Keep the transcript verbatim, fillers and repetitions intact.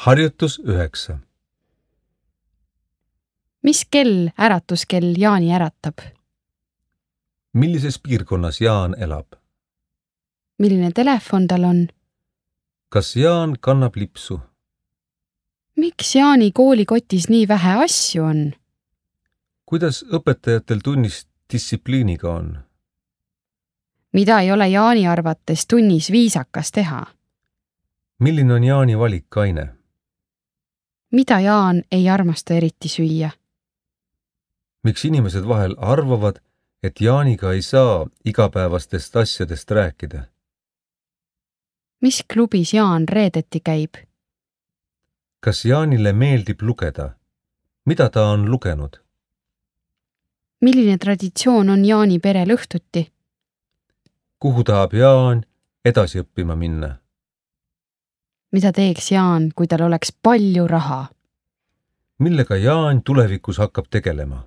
Harjutus üheksa. Mis kell äratuskell Jaani äratab? Millises piirkonnas Jaan elab? Milline telefon tal on? Kas Jaan kannab lipsu? Miks Jaani koolikotis nii vähe asju on? Kuidas õpetajatel tunnis distsipliiniga on? Mida ei ole Jaani arvates tunnis viisakas teha? Milline on Jaani valikaine? Mida Jaan ei armasta eriti süüa? Miks inimesed vahel arvavad, et Jaaniga ei saa igapäevastest asjadest rääkida? Mis klubis Jaan reedeti käib? Kas Jaanile meeldib lugeda? Mida ta on lugenud? Milline traditsioon on Jaani perel õhtuti? Kuhu tahab Jaan edasi õppima minna? Mida teeks Jaan, kui tal oleks palju raha? Millega Jaan tulevikus hakkab tegelema?